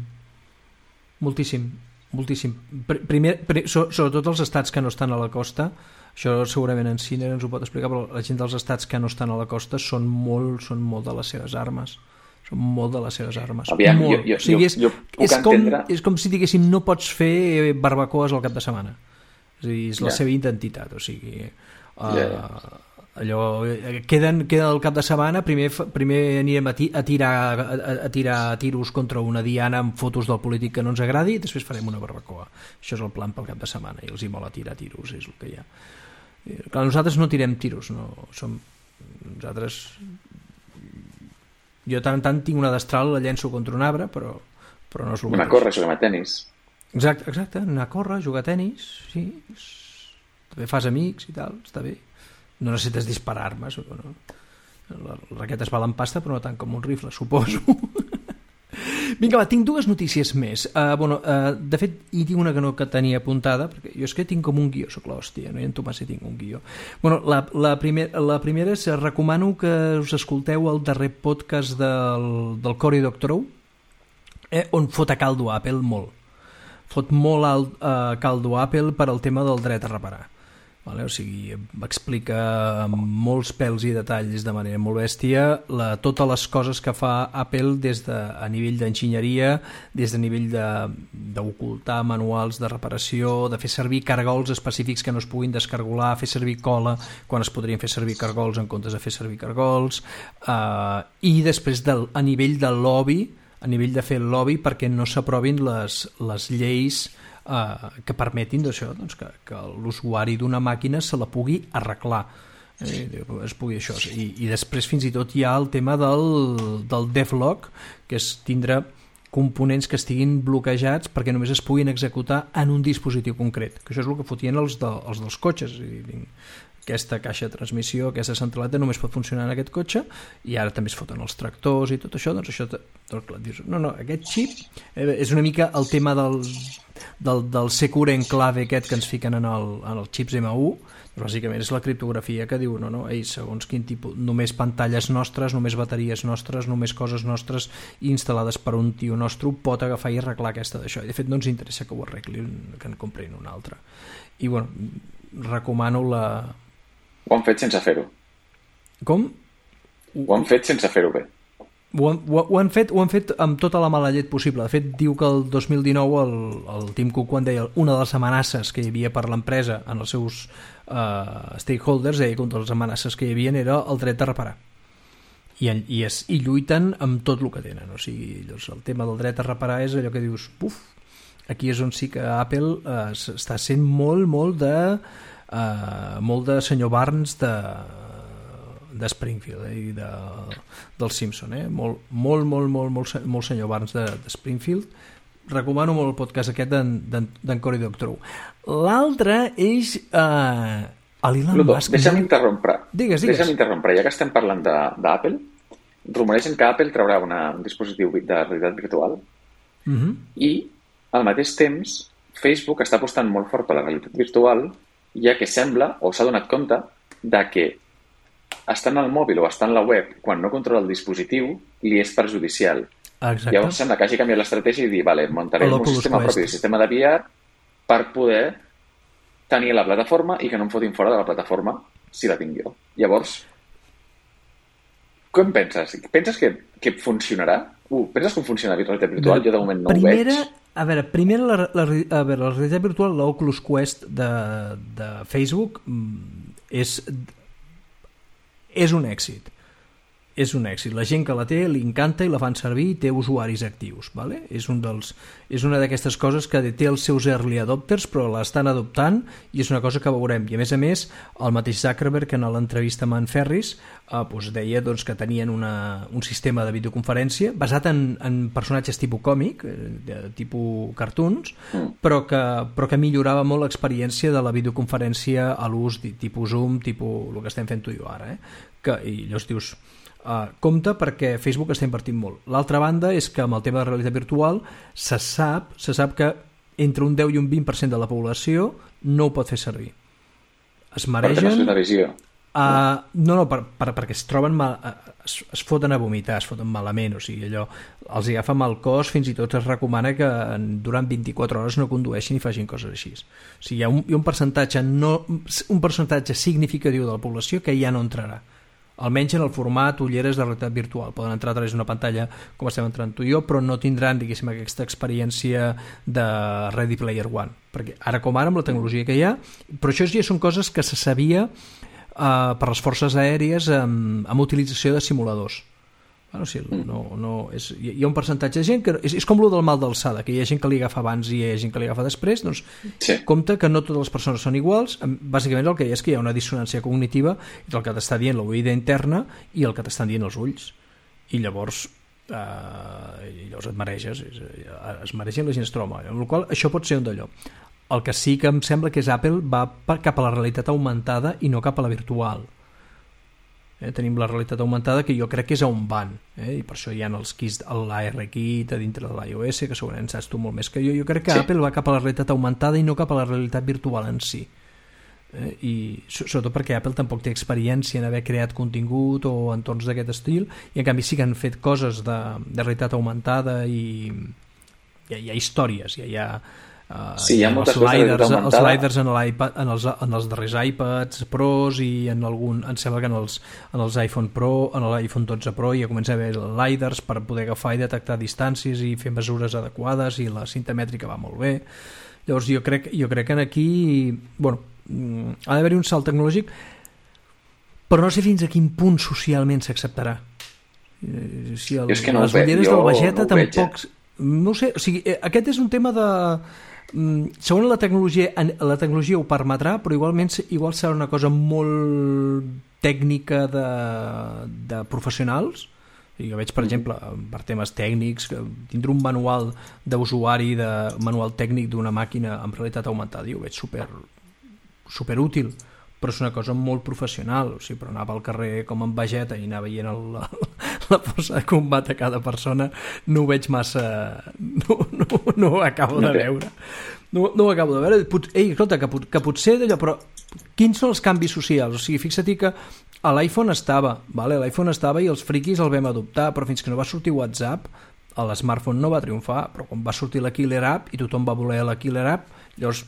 Primer, sobretot els estats que no estan a la costa, això segurament en Ciner ens ho pot explicar, però la gent dels estats que no estan a la costa són molt de les seves armes. Són molt de les seves armes. Aviam, jo puc entendre... És com si diguéssim no pots fer barbacoes al cap de setmana. És a dir, és la seva identitat, o sigui... allò queden el cap de setmana, primer anirem a tirar tiros contra una diana amb fotos del polític que no ens agradi i després farem una barbacoa. Això és el plan pel cap de setmana i els hi mola tirar tiros, és el que hi ha. Clar, nosaltres no tirem tiros, nosaltres jo tant tinc una destral, la llenço contra un arbre, però no és el mateix. Anar a córrer, jugar a tenis. Exacte, anar a córrer, jugar a tenis, sí, també fas amics i tal, està bé. No necessites disparar armes, no? Les raquetes valen pasta, però no tant com un rifle, suposo. Vinga, va, tinc dues notícies més. De fet, hi tinc una que tenia apuntada, perquè jo és que tinc com un guió, soc l'hòstia, no? I en Tomàs hi tinc un guió. La primera és, recomano que us escolteu el darrer podcast del Cory Doctorow, on fot a caldo Apple molt. Fot molt caldo Apple per al tema del dret a reparar. Vale? O sigui, explica amb molts pèls i detalls de manera molt bèstia totes les coses que fa Apple a nivell d'enginyeria, des de nivell d'ocultar manuals de reparació, de fer servir cargols específics que no es puguin descargolar, fer servir cola quan es podrien fer servir cargols en comptes de fer servir cargols, i després a nivell del lobby, a nivell de fer el lobby perquè no s'aprovin les lleis que permetin d'això, doncs, que l'usuari d'una màquina se la pugui arreglar, es pugui això. I després fins i tot hi ha el tema del devlog, que és tindre components que estiguin bloquejats perquè només es puguin executar en un dispositiu concret, que això és el que fotien els dels cotxes. Aquesta caixa de transmissió, aquesta centraleta només pot funcionar en aquest cotxe, i ara també es foten els tractors i tot això, doncs això dius, no, aquest xip és una mica el tema del secure enclave aquest que ens fiquen en els xips M1, doncs bàsicament és la criptografia que diu, segons quin tipus, només pantalles nostres, només bateries nostres, només coses nostres instal·lades per un tio nostre pot agafar i arreglar aquesta d'això, i de fet no ens interessa que ho arreglin, que en comprin una altra. I bueno, recomano Ho han fet sense fer-ho. Com? Ho han fet sense fer-ho bé. Ho han fet amb tota la mala llet possible. De fet, diu que el 2019 el Tim Cook, quan deia una de les amenaces que hi havia per l'empresa en els seus stakeholders, deia que una de les amenaces que hi havia era el dret de reparar. I lluiten amb tot el que tenen. O sigui, el tema del dret a reparar és allò que dius, aquí és on sí que Apple està sent molt de senyor Barnes de Springfield i del Simpson, molt senyor Barnes de Springfield. Recomano molt el podcast aquest d'en Cory Doctorow. L'altre és l'Elon Musk. Deixa'm interrompre. Digues. Deixa'm interrompre, ja que estem parlant d'Apple, rumoregen que Apple traurà un dispositiu de realitat virtual i al mateix temps Facebook està apostant molt fort per la realitat virtual, ja que sembla, o s'ha donat compte, de que estant al mòbil o estant a la web, quan no controla el dispositiu, li és perjudicial. Exacte. Llavors sembla que hagi canviat l'estratègia i dir, muntaré un sistema propi de sistema de VR per poder tenir la plataforma i que no em fotin fora de la plataforma si la tinc jo. Llavors, com penses? Penses que funcionarà? Penses que funciona la realitat virtual? Jo de moment no ho veig. A veure, primer la realitat virtual, l'Oculus Quest de Facebook és un èxit. És un èxit. La gent que la té li encanta i la fan servir i té usuaris actius. Vale? És una d'aquestes coses que té els seus early adopters, però l'estan adoptant i és una cosa que veurem. I a més, el mateix Zuckerberg, en l'entrevista amb en Ferris, deia que tenien un sistema de videoconferència basat en personatges tipus còmic, tipus cartoons, però que millorava molt l'experiència de la videoconferència a l'ús tipus Zoom, tipus el que estem fent tu i jo ara. I llavors dius, compte perquè Facebook està invertint molt. L'altra banda és que amb el tema de realitat virtual se sap que entre un 10 i un 20% de la població no ho pot fer servir. Es maregen... Perquè no és una visió. Perquè es troben es foten a vomitar, es foten malament, o sigui, allò els agafa mal cos, fins i tot es recomana que durant 24 hores no condueixin i facin coses així. O sigui, hi ha un percentatge significatiu de la població que ja no entrarà, almenys en el format ulleres de realitat virtual. Poden entrar a través d'una pantalla com estem entrant tu i jo, però no tindran, diguéssim, aquesta experiència de Ready Player One, perquè ara com ara amb la tecnologia que hi ha, però això ja són coses que se sabia per les forces aèries amb utilització de simuladors. Bueno, sí, hi ha un percentatge de gent que és com el del mal d'alçada, que hi ha gent que li agafa abans i hi ha gent que li agafa després, doncs sí. Compte que no totes les persones són iguals. Bàsicament el que hi ha és que hi ha una dissonància cognitiva entre el que t'està dient l'oïda interna i el que t'estan dient els ulls, i llavors et mareges, es maregen i la gent es troba mal, amb la qual això pot ser un d'allò. El que sí que em sembla que és Apple va cap a la realitat augmentada i no cap a la virtual. Tenim la realitat augmentada, que jo crec que és on van, i per això hi ha els kits, l'AR-Kit a dintre de l'iOS, que segurament saps tu molt més que jo. Jo crec que Apple va cap a la realitat augmentada i no cap a la realitat virtual en si. I sobretot perquè Apple tampoc té experiència en haver creat contingut o entorns d'aquest estil, i en canvi sí que han fet coses de realitat augmentada i hi ha històries, hi ha hi ha moltes coses els sliders en els darrers iPads Pros i em sembla que en els iPhone Pro, en l'iPhone 12 Pro ja comença a haver sliders per poder agafar i detectar distàncies i fer mesures adequades, i la cinta mètrica va molt bé. Llavors jo crec que aquí ha d'haver-hi un salt tecnològic, però no sé fins a quin punt socialment s'acceptarà. Si les ulleres del Vegeta tampoc... No sé, o sigui, aquest és un tema de... Segons la tecnologia ho permetrà, però igual serà una cosa molt tècnica de professionals. Jo veig, per exemple, per temes tècnics, tindre un manual d'usuari, manual tècnic d'una màquina amb realitat augmentada, jo ho veig super útil, però és una cosa molt professional. O sigui, però anar pel carrer com en Vegeta i anar veient la força de combat a cada persona no ho veig massa... No ho acabo de veure. No ho acabo de veure. Ei, escolta, que potser d'allò, però quins són els canvis socials? O sigui, fixa't que a l'iPhone estava, l'iPhone estava i els friquis el vam adoptar, però fins que no va sortir WhatsApp, l'smartphone no va triomfar, però quan va sortir la Killer App i tothom va voler la Killer App, llavors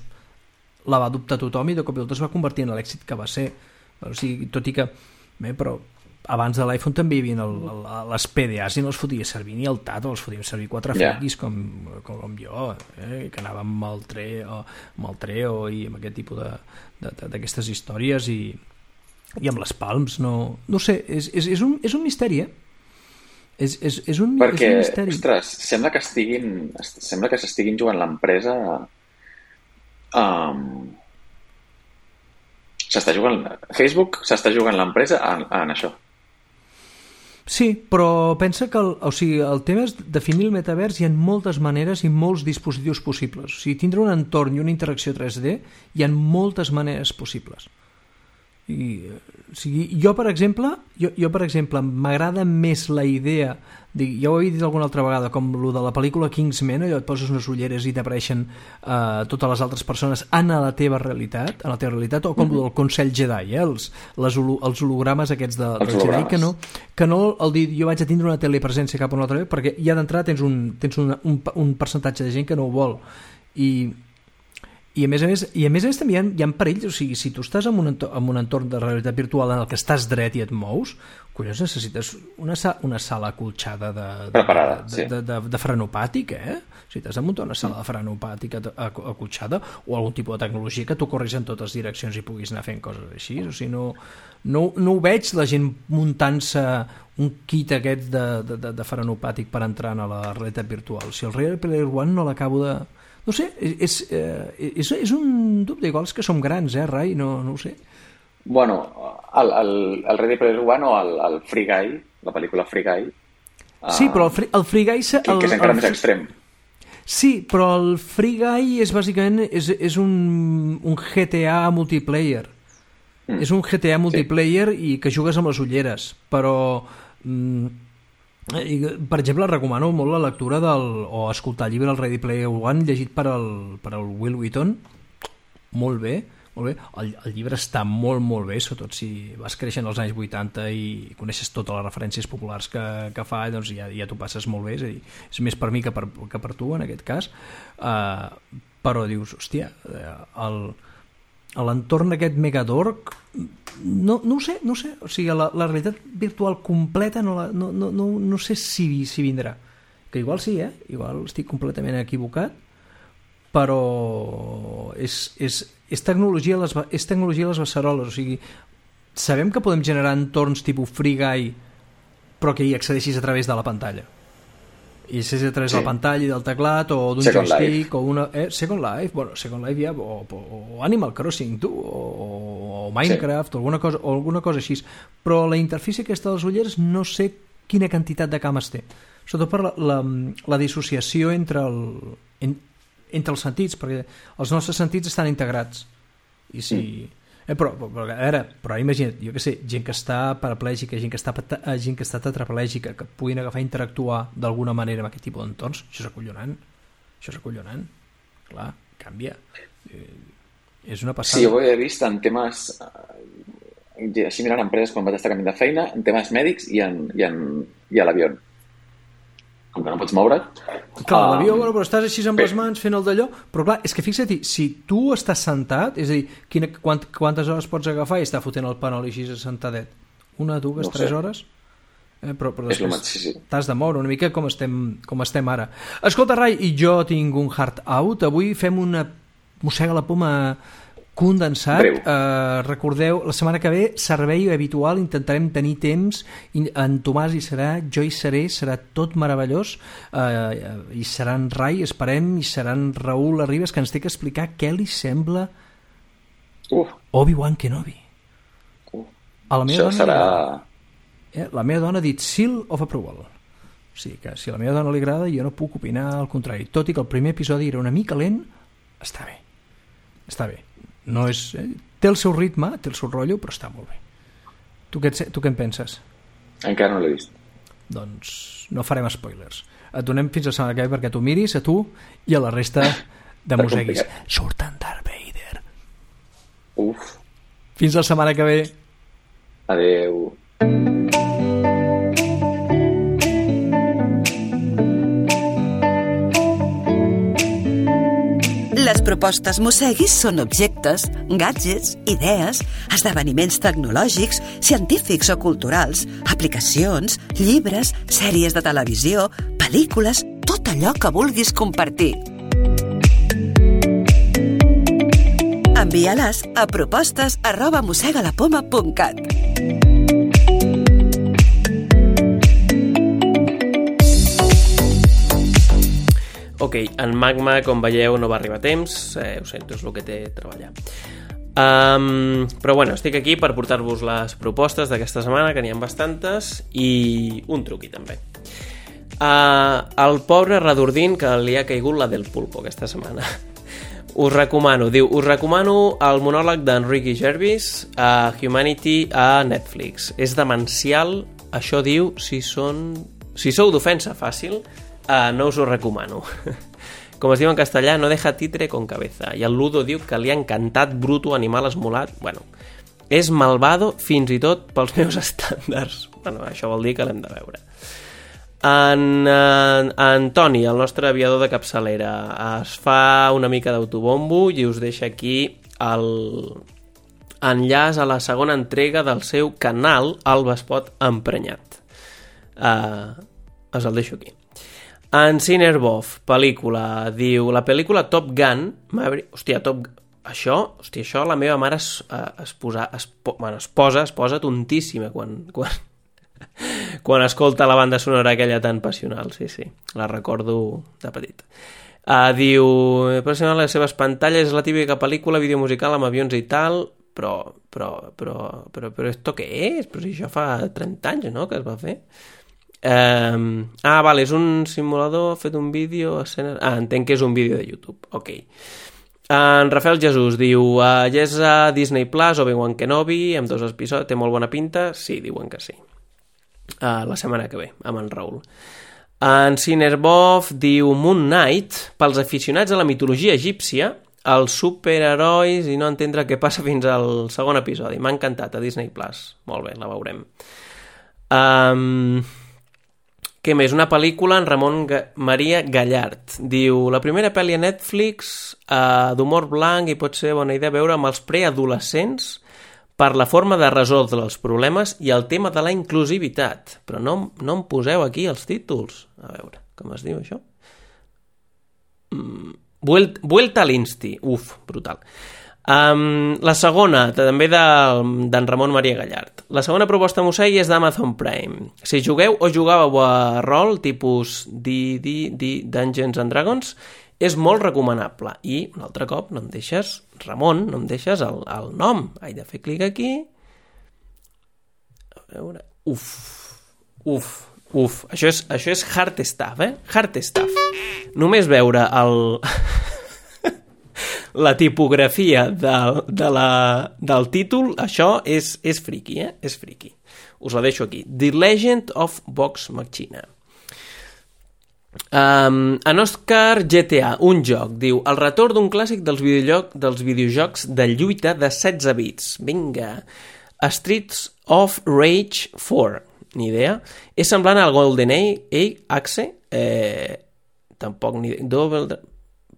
la va adoptar tothom i de cop i volta es va convertir en l'èxit que va ser. O sigui, tot i que... però abans de l'iPhone també hi havia les PDAs i no els fotia servir ni el Tato, els fotíem servir 4 friquis com jo, que anàvem amb el Treo i amb aquest tipus d'aquestes històries i amb les Palms, no sé, és un misteri, és un misteri. Ostres, sembla que s'estiguin jugant l'empresa Facebook s'està jugant l'empresa en això. Sí, però pensa que el tema és definir el metavers. Hi ha moltes maneres i molts dispositius possibles. O sigui, tindre un entorn i una interacció 3D hi ha moltes maneres possibles. Jo per exemple m'agrada més la idea, ja ho he dit alguna altra vegada, com el de la pel·lícula Kingsman, allò et poses unes ulleres i t'apareixen totes les altres persones en la teva realitat, o com el del Consell Jedi, els hologrames aquests dels Jedi, que no el dir jo vaig a tindre una telepresència cap a una altra vegada, perquè ja d'entrada tens un percentatge de gent que no ho vol, i a més també hi ha perills. O sigui, si tu estàs en un entorn de realitat virtual en el que estàs dret i et mous, collons, necessites una sala acolxada de frenopàtic, O sigui, t'has de muntar una sala de frenopàtica acolxada o algun tipus de tecnologia que tu corris en totes direccions i puguis anar fent coses així. O sigui, no ho veig la gent muntant-se un kit aquest de frenopàtic per entrar a la realitat virtual. O sigui, el Ready Player One no l'acabo de... No sé, és un dubte, igual és que som grans, Rai? No ho sé. Bueno, el Ready Player One o el Free Guy, la pel·lícula Free Guy... Sí, però el Free Guy... Que és encara més extrem. Sí, però el Free Guy és bàsicament un GTA multiplayer. És un GTA multiplayer i que jugues amb les ulleres, però... Per exemple, recomano molt la lectura o escoltar el llibre El Ready Player One llegit per el Will Wheaton. Molt bé. El llibre està molt bé, sobretot si vas creixent als anys 80 i coneixes totes les referències populars que fa, doncs ja t'ho passes molt bé. És a dir, és més per mi que per tu en aquest cas, però dius, hòstia, l'entorn d'aquest Megadork no ho sé, o sigui, la realitat virtual completa no sé si vindrà, que igual sí, igual estic completament equivocat, però és tecnologia a les beceroles. O sigui, sabem que podem generar entorns tipus Free Guy però que hi accedeixis a través de la pantalla, i si és a través de la pantalla i del teclat o d'un joystick o una... Second Life, Second Life ja, o Animal Crossing, o Minecraft, o alguna cosa així. Però la interfície aquesta de les ulleres no sé quina quantitat de cames té. Sobretot per la dissociació entre els sentits, perquè els nostres sentits estan integrats. I si... Però imagina't, jo què sé, gent que està paraplègica, gent que està tetraplègica, que puguin agafar i interactuar d'alguna manera amb aquest tipus d'entorns, això és acollonant. Clar, canvia. És una passada. Sí, jo ho he vist en temes així mirant empreses quan vaig estar canviant de feina, en temes mèdics i a l'avió. Com que no pots moure't. Clar, l'avió, però estàs així amb les mans fent el d'allò, però clar, és que fixa't, si tu estàs sentat, és a dir, quantes hores pots agafar i estar fotent el panol així sentadet? 1, 2, 3 hores? Però després t'has de moure una mica com estem ara. Escolta, Rai, i jo tinc un hard out. Avui fem una mossega la poma condensat. Recordeu, la setmana que ve servei habitual, intentarem tenir temps, en Tomàs hi serà, jo hi seré, serà tot meravellós, hi serà en Rai, esperem, hi serà en Raül Arribas, que ens té que explicar què li sembla Obi-Wan Kenobi. A la meva dona serà... La meva dona ha dit seal of approval. O sigui que si a la meva dona li agrada, jo no puc opinar al contrari. Tot i que el primer episodi era una mica lent, està bé. No és, té el seu ritme, té el seu rotllo, però està molt bé. Tu què en penses? Encara no l'he vist. Doncs no farem spoilers. Et donem fins a la setmana que ve perquè tu miris, a tu i a la resta de mosseguis. Surt en Darth Vader. Fins la setmana que ve. Adeu. Les propostes Mosseguis són objectes, gadgets, idees, esdeveniments tecnològics, científics o culturals, aplicacions, llibres, sèries de televisió, pel·lícules, tot allò que vulguis compartir. Envia-les a propostes@mossegalapoma.cat. Ok, en Magma, com veieu, no va arribar a temps, ho sento, és el que té treballar. Però bueno, estic aquí per portar-vos les propostes d'aquesta setmana, que n'hi ha bastantes, i un truqui també. El pobre Redordín, que li ha caigut la del pulpo aquesta setmana. Us recomano el monòleg d'en Ricky Gervais a Humanity a Netflix. És demencial, això diu, si sou d'ofensa fàcil, no us ho recomano. Com es diu en castellà, no deja títere con cabeza. I el Ludo diu que li ha encantat bruto, animal esmolat. Bueno, és malvado fins i tot pels meus estàndards. Bueno, això vol dir que l'hem de veure. En Toni, el nostre aviador de capçalera, es fa una mica d'autobombo i us deixa aquí l'enllaç a la segona entrega del seu canal El Vespot Emprenyat. Us el deixo aquí. En Cinerbov, pel·lícula, diu la pel·lícula Top Gun això la meva mare es posa tontíssima quan escolta la banda sonora aquella tan passional, sí, la recordo de petit. Diu, per les seves pantalles és la típica pel·lícula videomusical amb avions i tal, però esto què és? Però si això fa 30 anys, no?, que es va fer. Vale, és un simulador, fet un vídeo, entenc que és un vídeo de YouTube, ok. En Rafael Jesús diu, ja és a Disney Plus, Obi-Wan Kenobi, amb 2 episodis, té molt bona pinta, sí, diuen que sí. La setmana que ve, amb en Raül. En Cinerbov diu Moon Knight, pels aficionats a la mitologia egípcia, els superherois i no entendre què passa fins al segon episodi. M'ha encantat a Disney Plus, molt bé, la veurem. Què més? Una pel·lícula en Ramon Maria Gallart. Diu, la primera pel·li a Netflix d'humor blanc i pot ser bona idea veure amb els preadolescents per la forma de resoldre els problemes i el tema de la inclusivitat. Però no em poseu aquí els títols. A veure, com es diu això? Vuelta al Insti. Brutal. La segona, també d'en Ramon Maria Gallart. La segona proposta Mossegui és d'Amazon Prime. Si jugueu o jugàveu a rol, tipus Dungeons and Dragons, és molt recomanable. I, un altre cop, no em deixes, Ramon, no em deixes el nom. He de fer clic aquí. A veure... Això és hard stuff, Hard stuff. Només veure la tipografia del títol, això és friki, És friki. Us la deixo aquí. The Legend of Vox Machina. En Oscar GTA, un joc, diu: el retorn d'un clàssic dels videojocs de lluita de 16 bits. Vinga. Streets of Rage 4. Ni idea. És semblant al GoldenEye Axe. Tampoc ni idea.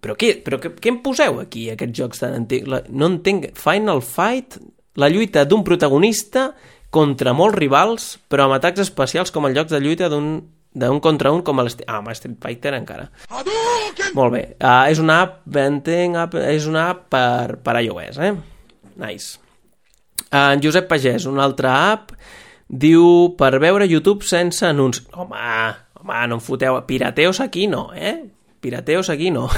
Però què em poseu aquí, aquests jocs tan antics? No entenc. Final Fight, la lluita d'un protagonista contra molts rivals, però amb atacs especials com en jocs de lluita d'un contra un com el Street Fighter encara. Molt bé. És una app, és una app per iOS, Nice. En Josep Pagès, una altra app, diu: per veure YouTube sense anuncis. Home, no em foteu. Pirateos aquí no, Pirateos aquí no.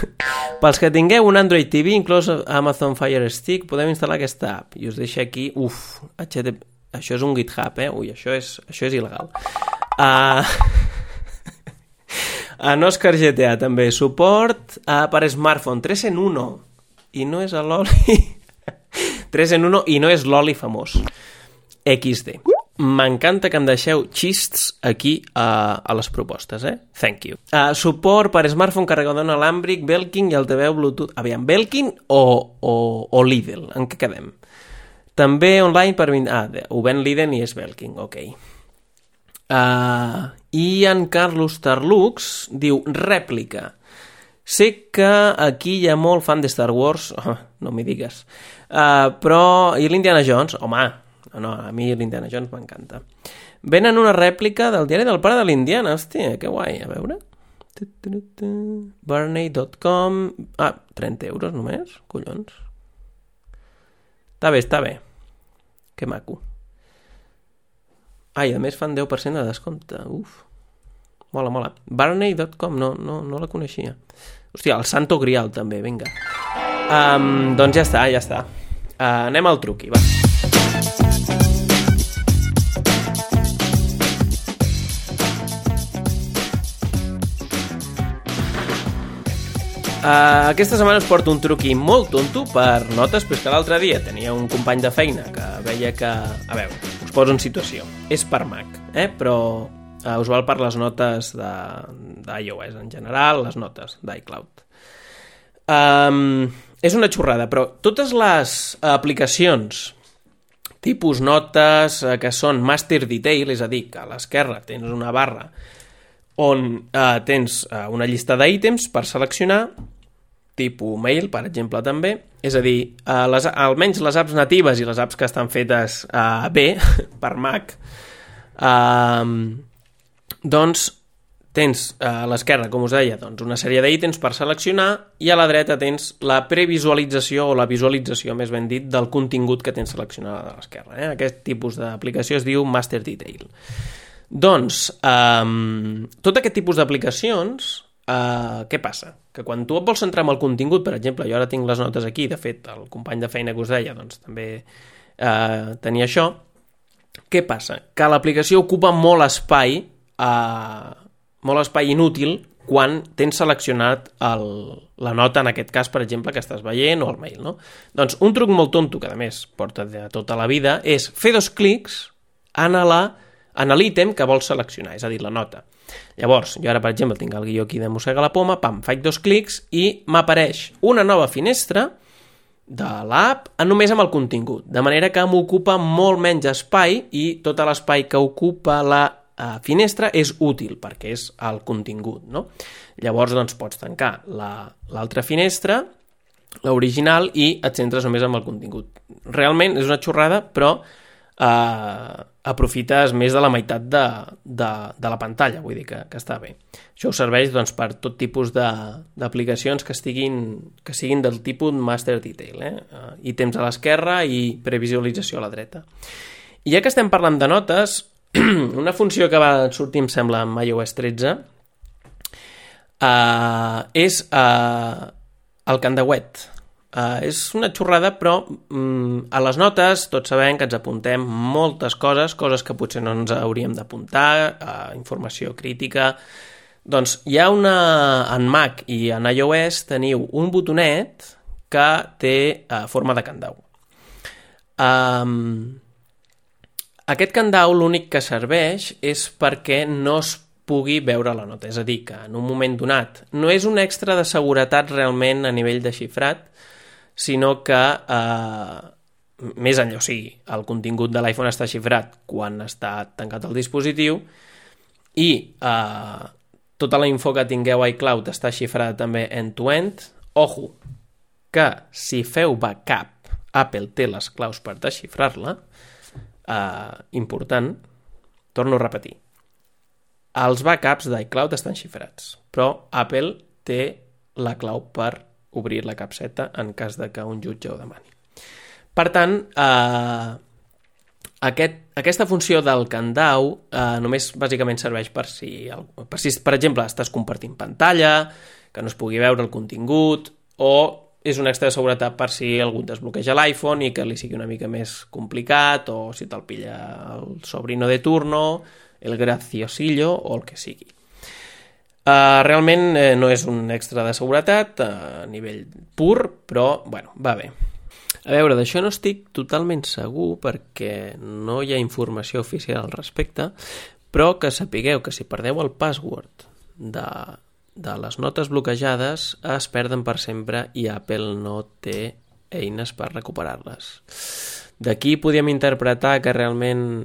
Pels que tingueu un Android TV, inclòs Amazon Fire Stick, podem instal·lar aquesta app. I us deixo aquí... HTTP... Això és un GitHub, Ui, això és il·legal. En Oscar GTA també suport per smartphone 3 en 1 i no és l'Oli 3 en 1 i no és l'Oli famós XD. M'encanta que em deixeu xists aquí a les propostes, Thank you. Suport per smartphone, carregador inalàmbric, Belkin i altaveu Bluetooth. Aviam, Belkin o Lidl? En què quedem? També online per... ho ven Lidl i és Belkin, ok. I en Carlos Tarlux diu: rèplica. Sé que aquí hi ha molt fan de Star Wars, no m'hi digues, però... I l'Indiana Jones? Home, no, a mi l'Indiana Jones m'encanta. Venen una rèplica del diari del pare de l'Indiana, hòstia, que guai, a veure... Barney.com 30 euros només? Collons. Està bé. Que maco. I a més fan 10% de descompte. Uf. Mola. Barney.com, no la coneixia. Hòstia, el Santo Grial també, vinga. Doncs ja està. Anem al truqui, va. Aquesta setmana us porto un truqui molt tonto per notes, però és que l'altre dia tenia un company de feina que veia que... A veure, us poso en situació. És per Mac, però us val per les notes d'iOS en general, les notes d'iCloud. És una xorrada, però totes les aplicacions tipus notes que són master detail, és a dir, que a l'esquerra tens una barra on tens una llista d'ítems per seleccionar, tipus mail, per exemple, també. És a dir, almenys les apps natives i les apps que estan fetes bé per Mac, doncs tens a l'esquerra, com us deia, doncs una sèrie d'ítems per seleccionar i a la dreta tens la previsualització o la visualització, més ben dit, del contingut que tens seleccionat a l'esquerra. Aquest tipus d'aplicació es diu Master Detail. Doncs, tot aquest tipus d'aplicacions, què passa? Que quan tu et vols centrar en el contingut, per exemple, jo ara tinc les notes aquí, de fet, el company de feina que us deia, doncs també tenia això, què passa? Que l'aplicació ocupa molt espai inútil quan tens seleccionat la nota, en aquest cas, per exemple, que estàs veient, o el mail, no? Doncs un truc molt tonto, que a més porta de tota la vida, és fer 2 clics en l'ítem que vols seleccionar, és a dir, la nota. Llavors, jo ara, per exemple, tinc el guió aquí de Mossega la Poma, faig 2 clics i m'apareix una nova finestra de l'app només amb el contingut, de manera que m'ocupa molt menys espai i tot l'espai que ocupa la finestra és útil perquè és el contingut, no? Llavors, doncs, pots tancar l'altra finestra, l'original, i et centres només amb el contingut. Realment és una xorrada, però aprofites més de la meitat de la pantalla, vull dir que està bé. Això us serveix, doncs, per tot tipus d'aplicacions que siguin del tipus Master Detail, ítems a l'esquerra i previsualització a la dreta. I ja que estem parlant de notes, una funció que va sortir, em sembla, amb iOS 13 és el candauet. És una xorrada, però a les notes tots sabem que ens apuntem moltes coses que potser no ens hauríem d'apuntar, informació crítica. Doncs hi ha en Mac i en iOS teniu un botonet que té forma de candau. Aquest candau l'únic que serveix és perquè no es pugui veure la nota, és a dir, que en un moment donat no és un extra de seguretat realment a nivell de xifrat, sinó que més enllà, o sigui, el contingut de l'iPhone està xifrat quan està tancat el dispositiu i tota la info que tingueu a iCloud està xifrada també end-to-end. Ojo, que si feu backup, Apple té les claus per desxifrar-la. Important, torno a repetir, els backups d'iCloud estan xifrats, però Apple té la clau per obrir la capseta en cas de que un jutge ho demani. Per tant, aquesta funció del candau només bàsicament serveix per si, per exemple, estàs compartint pantalla, que no es pugui veure el contingut, o és un extra de seguretat per si algú desbloqueja l'iPhone i que li sigui una mica més complicat, o si te'l pilla el sobrino de turno, el graciosillo o el que sigui. Realment no és un extra de seguretat a nivell pur, però bueno, va bé. A veure, d'això no estic totalment segur perquè no hi ha informació oficial al respecte, però que sapigueu que si perdeu el password de les notes bloquejades es perden per sempre i Apple no té eines per recuperar-les. D'aquí podíem interpretar que realment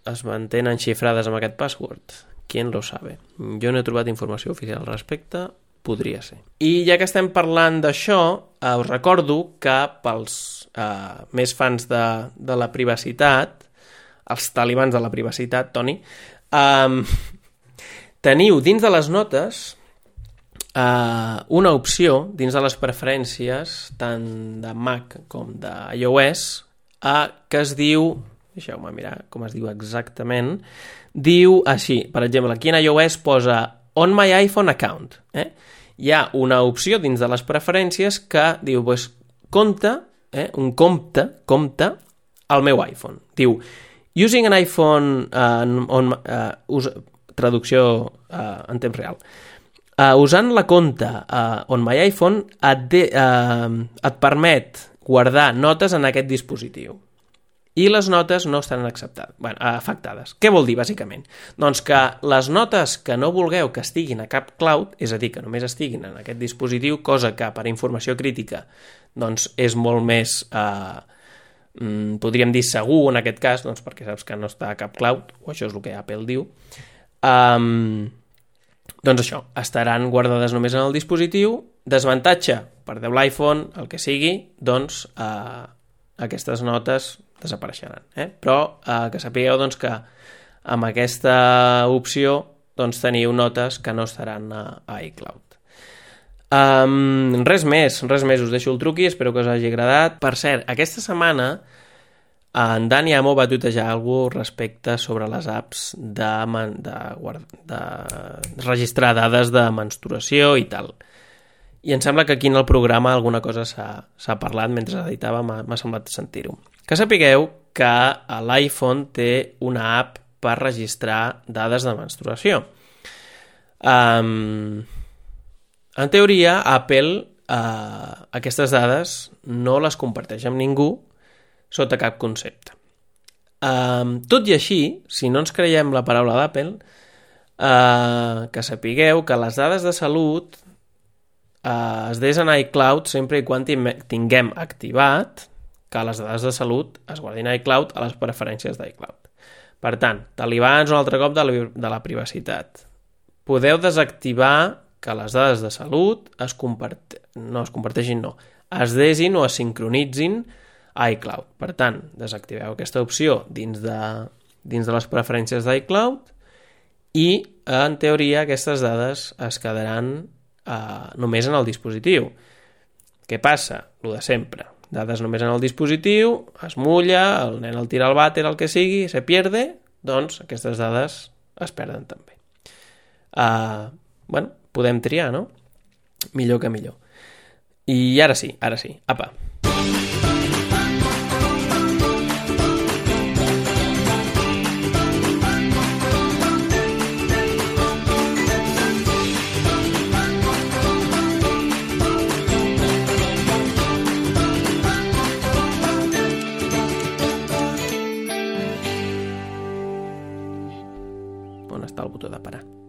es mantenen xifrades amb aquest password. Qui lo sabe? Jo no he trobat informació oficial al respecte, podria ser. I ja que estem parlant d'això, us recordo que pels més fans de la privacitat, els talibans de la privacitat, Toni, teniu dins de les notes una opció dins de les preferències tant de Mac com d'iOS que es diu, deixeu-me mirar com es diu exactament, diu així, per exemple, aquí en iOS posa On My iPhone Account. Hi ha una opció dins de les preferències que diu, compte, un compte al meu iPhone. Diu, using an iPhone traducció en temps real. Usant la compta on my iPhone et permet guardar notes en aquest dispositiu. I les notes no estan afectades. Què vol dir, bàsicament? Doncs que les notes que no vulgueu que estiguin a cap cloud, és a dir, que només estiguin en aquest dispositiu, cosa que per informació crítica doncs és molt més, podríem dir, segur en aquest cas, doncs perquè saps que no està a cap cloud, o això és el que Apple diu, doncs això, estaran guardades només en el dispositiu. Desavantatge, perdeu l'iPhone, el que sigui, doncs aquestes notes desapareixeran. Però que sapigueu doncs, que amb aquesta opció doncs, teniu notes que no estaran a iCloud. Res més, us deixo el truqui, espero que us hagi agradat. Per cert, aquesta setmana en Dani Amo va tuitejar alguna cosa respecte sobre les apps de registrar dades de menstruació i tal. I em sembla que aquí en el programa alguna cosa s'ha parlat mentre editava, m'ha semblat sentir-ho. Que sapigueu que l'iPhone té una app per registrar dades de menstruació. En teoria, Apple aquestes dades no les comparteix amb ningú sota cap concepte. Tot i així, si no ens creiem la paraula d'Apple, que sapigueu que les dades de salut es desen a iCloud sempre i quan tinguem activat que les dades de salut es guardin a iCloud a les preferències d'iCloud. Per tant, talibans un altre cop de la privacitat. Podeu desactivar que les dades de salut es desin o es sincronitzin a iCloud. Per tant, desactiveu aquesta opció dins de les preferències d'iCloud i, en teoria, aquestes dades es quedaran només en el dispositiu. Què passa? Lo de sempre. Dades només en el dispositiu, es mulla, el nen el tira al vàter, el que sigui, se pierde, doncs aquestes dades es perden també. Podem triar, no? Millor que millor. I ara sí, apa. està el botó de parar.